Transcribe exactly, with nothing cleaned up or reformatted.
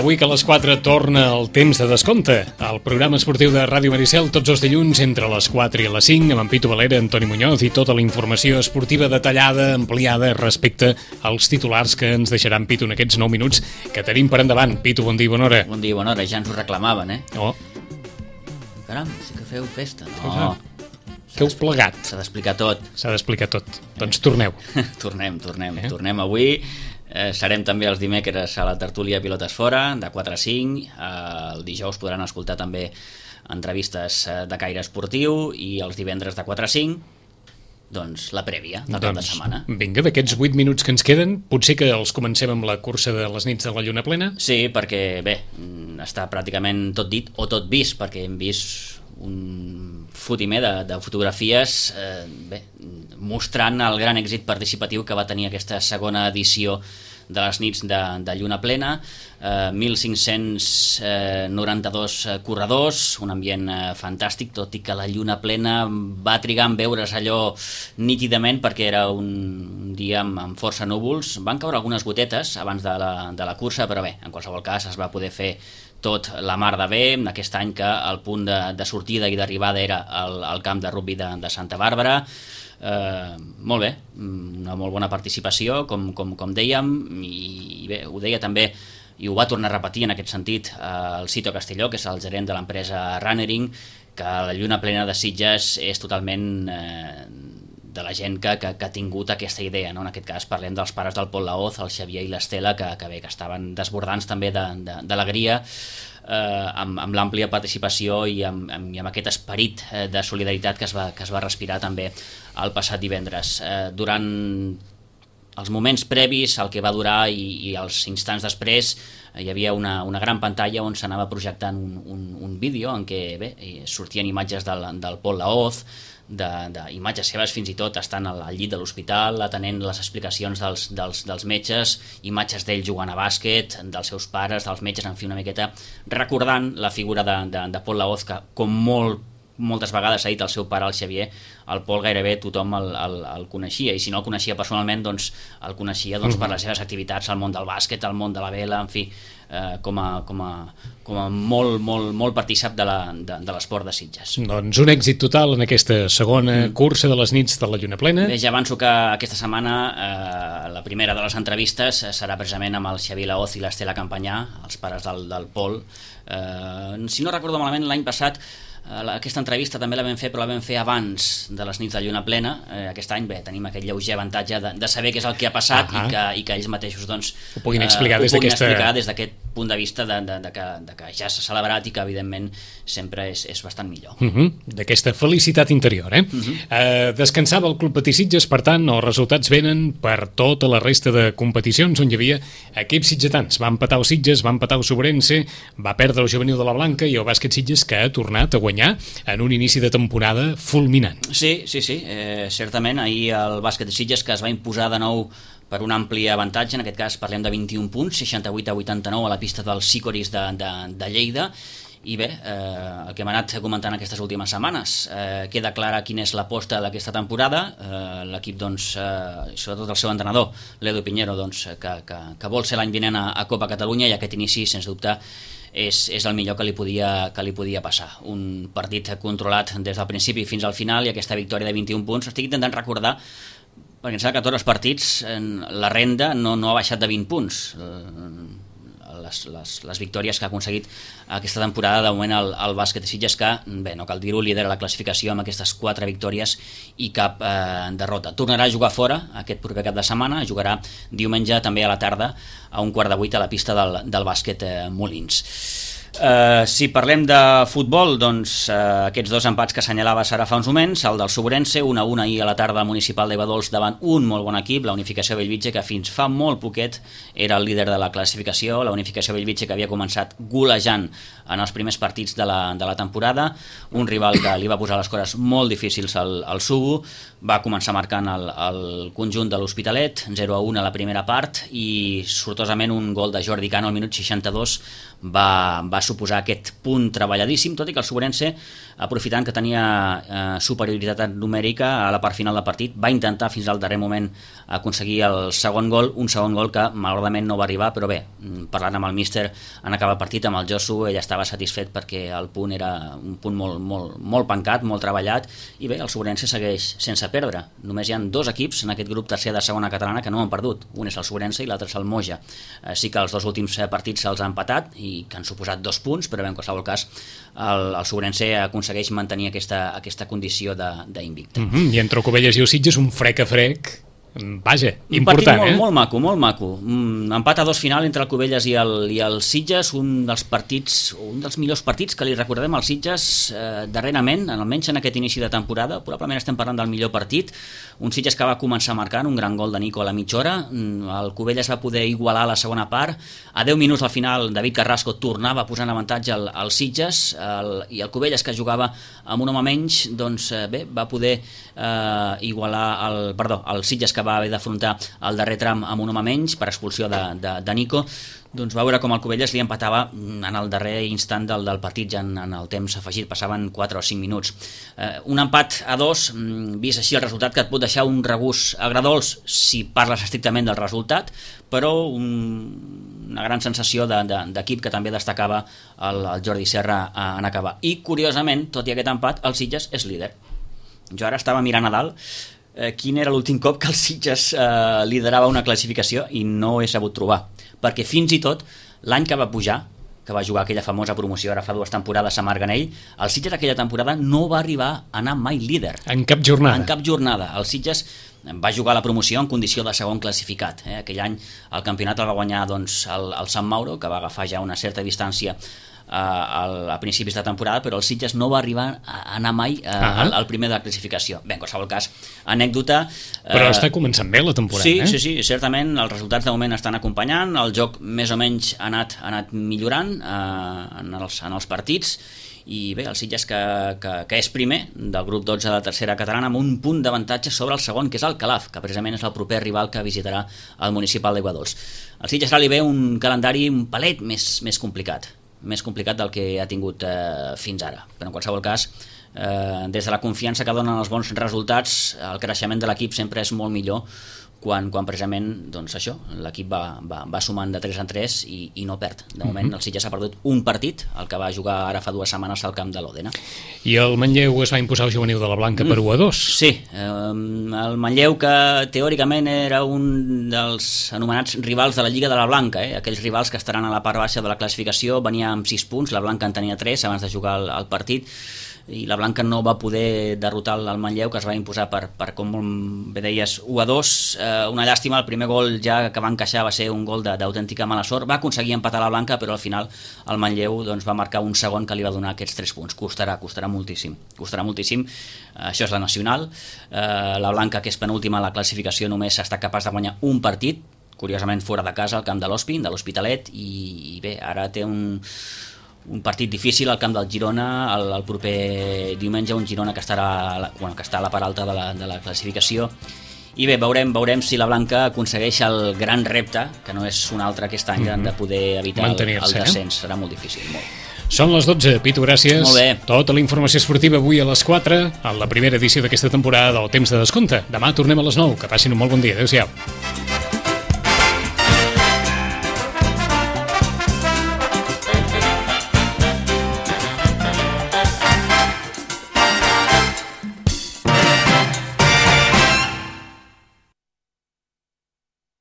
Avui que a les quatre torna el temps de descompte. El programa esportiu de Ràdio Maricel tots els dilluns entre les quatre i les cinc amb en Pitu Valera, Antoni Muñoz i tota la informació esportiva detallada, ampliada respecte als titulars que ens deixaran Pitu en aquests nou minuts que tenim per endavant. Pitu, bon dia i bona hora. Bon dia i bona hora, ja ens ho reclamaven, eh? Oh. Caram, sí que feu festa. No. Que heu plegat. S'ha d'explicar tot. S'ha d'explicar tot. Doncs torneu. tornem, tornem, eh? tornem avui. Eh, serem també els dimecres a la tertúlia Pilotes Fora, de quatre a cinc. Eh, el dijous podran escoltar també entrevistes de caire esportiu i els divendres de quatre a cinc, doncs la prèvia de tota doncs, setmana. Vinga, d'aquests vuit minuts que ens queden, potser que els comencem amb la cursa de les nits de la lluna plena? Sí, perquè, bé, està pràcticament tot dit o tot vist, perquè hem vist un fotimer de, de fotografies eh, bé, mostrant el gran èxit participatiu que va tenir aquesta segona edició de les nits de, de lluna plena, eh, mil cinc-cents noranta-dos corredors, un ambient eh, fantàstic, tot i que la lluna plena va trigar en veure's allò nítidament perquè era un dia amb, amb força núvols. Van caure algunes gotetes abans de la, de la cursa, però bé, en qualsevol cas es va poder fer tot la mar de bé, aquest any que el punt de, de sortida i d'arribada era el, el camp de rugbi de, de Santa Bàrbara. Eh, molt bé, una molt bona participació, com, com, com dèiem, i bé, ho deia també, i ho va tornar a repetir en aquest sentit eh, el Cito Castelló, que és el gerent de l'empresa Runnering, que la lluna plena de Sitges és totalment eh, de la gent que, que, que ha tingut aquesta idea, no? En aquest cas parlem dels pares del Pol Laoz, el Xavier i l'Estela, que, que bé, que estaven desbordants també d'alegria, eh, amb, amb l'àmplia participació i amb, amb, i amb aquest esperit eh, de solidaritat que es, va, que es va respirar també el passat divendres. Eh, durant els moments previs, el que va durar i, i els instants després, eh, hi havia una, una gran pantalla on s'anava projectant un, un, un vídeo en què bé, sortien imatges del, del Pol Laoz, d'imatges seves fins i tot estant al, al llit de l'hospital, atenent les explicacions dels, dels, dels metges, imatges d'ell jugant a bàsquet, dels seus pares, dels metges, en fi, una miqueta recordant la figura de, de, de Pol Laoz, que com molt moltes vegades ha dit el seu pare, el Xavier, el Pol gairebé tothom el, el, el coneixia, i si no el coneixia personalment, doncs el coneixia doncs, per les seves activitats al món del bàsquet, al món de la vela, en fi, eh, com, a, com, a, com a molt, molt, molt partícip de l'esport de, de Sitges. Doncs un èxit total en aquesta segona mm. cursa de les nits de la lluna plena. Bé, ja avanço que aquesta setmana eh, la primera de les entrevistes serà precisament amb el Xavier Laoz i l'Estela Campanyà, els pares del, del Pol. Eh, si no recordo malament, l'any passat aquesta entrevista també la vam fer, però la vam fer abans de les nits de lluna plena. Eh, aquest any bé, tenim aquest lleuger avantatge de, de saber què és el que ha passat uh -huh. i, que, i que ells mateixos doncs, ho puguin explicar eh, des d'aquesta aquest punt de vista de, de, de, que, de que ja s'ha celebrat i que evidentment sempre és, és bastant millor. Uh -huh. D'aquesta felicitat interior, eh? Uh -huh. eh? Descansava el Club Patí Sitges, per tant els resultats venen per tota la resta de competicions on hi havia equips sitgetans. Va empatar el Sitges, va empatar el Sobrense, va perdre el juvenil de la Blanca i el bàsquet Sitges, que ha tornat a guanyar en un inici de temporada fulminant. Sí, sí, sí, eh, certament ahir el bàsquet de Sitges, que es va imposar de nou per un ampli avantatge, en aquest cas parlem de vint-i-un punts, seixanta-vuit a vuitanta-nou a la pista dels Sicoris de, de, de Lleida. I bé, eh, el que hem anat comentant aquestes últimes setmanes, eh, queda clara quina és l'aposta d'aquesta temporada. Eh, l'equip, doncs, eh, sobretot el seu entrenador, l'Edu Piñero, doncs, que, que, que vol ser l'any vinent a, a Copa Catalunya, i aquest inici, sens dubte, és, és el millor que li, podia, que li podia passar. Un partit controlat des del principi fins al final, i aquesta victòria de vint-i-un punts, estic intentant recordar, perquè em sembla que tots els partits la renda no, no ha baixat de vint punts. Les, les, les victòries que ha aconseguit aquesta temporada de moment el, el bàsquet de Sitges, que bé, no cal dir-ho, lidera la classificació amb aquestes quatre victòries i cap eh, derrota. Tornarà a jugar fora aquest proper cap de setmana, jugarà diumenge també a la tarda a un quart de vuit a la pista del, del bàsquet eh, Molins. Uh, si parlem de futbol, doncs uh, aquests dos empats que assenyalaves ara fa uns moments, el del Sobrense, un a un ahir a la tarda al municipal de Badols davant un molt bon equip, la Unificació Bellvitge, que fins fa molt poquet era el líder de la classificació, la Unificació Bellvitge que havia començat golejant en els primers partits de la, de la temporada, un rival que li va posar les coses molt difícils al, al Subu, va començar marcant el, el conjunt de l'Hospitalet, zero a un a la primera part, i sortosament un gol de Jordi Cano al minut seixanta-dos va, va suposar aquest punt treballadíssim, tot i que el Sobrense, aprofitant que tenia eh, superioritat numèrica a la part final del partit, va intentar fins al darrer moment aconseguir el segon gol, un segon gol que malauradament no va arribar, però bé, parlant amb el míster en acabar el partit, amb el Josu, ell estava satisfet perquè el punt era un punt molt, molt, molt pencat, molt treballat, i bé, el Sobrense segueix sense perdre. Només hi ha dos equips en aquest grup tercer de segona catalana que no han perdut. Un és el Sobrense i l'altre és el Moja. Eh, sí que els dos últims partits se'ls han empatat i que han suposat dos punts, però bé, en qualsevol cas el, el Sobrense aconsegueix mantenir aquesta, aquesta condició d'invicte. Mm -hmm. I entre Cubelles i el Sitges un frec a frec, vaja, un important, partit molt, eh? molt maco, molt maco. Mm, empat a dos final entre el Cubelles i el, i el Sitges, un dels partits, un dels millors partits que li recordem al Sitges eh, darrerament, almenys en aquest inici de temporada. Probablement estem parlant del millor partit. Un Sitges que va començar marcant un gran gol de Nico a la mitja hora. El Cubelles va poder igualar la segona part. A deu minuts al final, David Carrasco tornava a posar en avantatge al, al Sitges, el, i el Cubelles, que jugava amb un home menys, doncs eh, bé, va poder eh, igualar el, perdó, el Sitges, que va haver d'afrontar el darrer tram amb un home menys per expulsió de, de, de Nico. Doncs va veure com el Cubelles li empatava en el darrer instant del, del partit, ja en, en el temps afegit, passaven quatre o cinc minuts. Eh, un empat a dos, vist així el resultat, que et pot deixar un regust agradolç si parles estrictament del resultat, però un, una gran sensació d'equip de, de, que també destacava el, el Jordi Serra en acabar. I curiosament, tot i aquest empat, el Sitges és líder. Jo ara estava mirant a dalt eh, quin era l'últim cop que el Sitges eh, liderava una classificació i no he sabut trobar, perquè fins i tot l'any que va pujar, que va jugar aquella famosa promoció ara fa dues temporades a Marganell, el Sitges aquella temporada no va arribar a anar mai líder. En cap jornada. En cap jornada. El Sitges va jugar la promoció en condició de segon classificat. Eh? Aquell any el campionat el va guanyar doncs, el, el Sant Mauro, que va agafar ja una certa distància a, a principis de temporada, però el Sitges no va arribar a anar mai a, uh -huh. al, al primer de la classificació. Bé, en qualsevol cas, anècdota... Però eh, està començant bé la temporada, sí, eh? Sí, sí, certament, els resultats de moment estan acompanyant, el joc més o menys ha anat, ha anat millorant eh, en, els, en els partits, i bé, el Sitges que, que, que és primer del grup dotze de la tercera catalana amb un punt d'avantatge sobre el segon, que és el Calaf, que precisament és el proper rival que visitarà el municipal d'Aiguadols. El Sitges ara li ve un calendari un palet més, més complicat, més complicat del que ha tingut eh, fins ara, però en qualsevol cas eh, des de la confiança que donen els bons resultats, el creixement de l'equip sempre és molt millor quan, quan precisament doncs això, l'equip va, va, va sumant de tres en tres i, i no perd. De moment el Sitges ha perdut un partit, el que va jugar ara fa dues setmanes al camp de l'Òdena. I el Manlleu es va imposar al juvenil de la Blanca per u a dos. Sí, eh, el Manlleu, que teòricament era un dels anomenats rivals de la Lliga de la Blanca, eh? Aquells rivals que estaran a la part baixa de la classificació, venia amb sis punts, la Blanca en tenia tres abans de jugar el, el partit, i la Blanca no va poder derrotar el Manlleu, que es va imposar per, per com bé deies, u a dos. Eh, una llàstima, el primer gol ja que va encaixar va ser un gol d'autèntica mala sort. Va aconseguir empatar la Blanca, però al final el Manlleu doncs, va marcar un segon que li va donar aquests tres punts. Costarà, costarà moltíssim. Costarà moltíssim. Eh, això és la nacional. Eh, la Blanca, que és penúltima a la classificació, només està capaç de guanyar un partit, curiosament fora de casa, al camp de l'Hospin, de l'Hospitalet, i, i bé, ara té un... un partit difícil al camp del Girona el, el proper diumenge, un Girona que, estarà, bueno, que està a la part alta de la, de la classificació, i bé, veurem, veurem si la Blanca aconsegueix el gran repte, que no és un altre aquest any, mm-hmm. de poder evitar el, el descens. Eh? Serà molt difícil, molt. Són les dotze, Pitu, gràcies. Molt bé. Tota la informació esportiva avui a les quatre, en la primera edició d'aquesta temporada del Temps de Descompte. Demà tornem a les nou. Que passin un molt bon dia. Adéu-siau.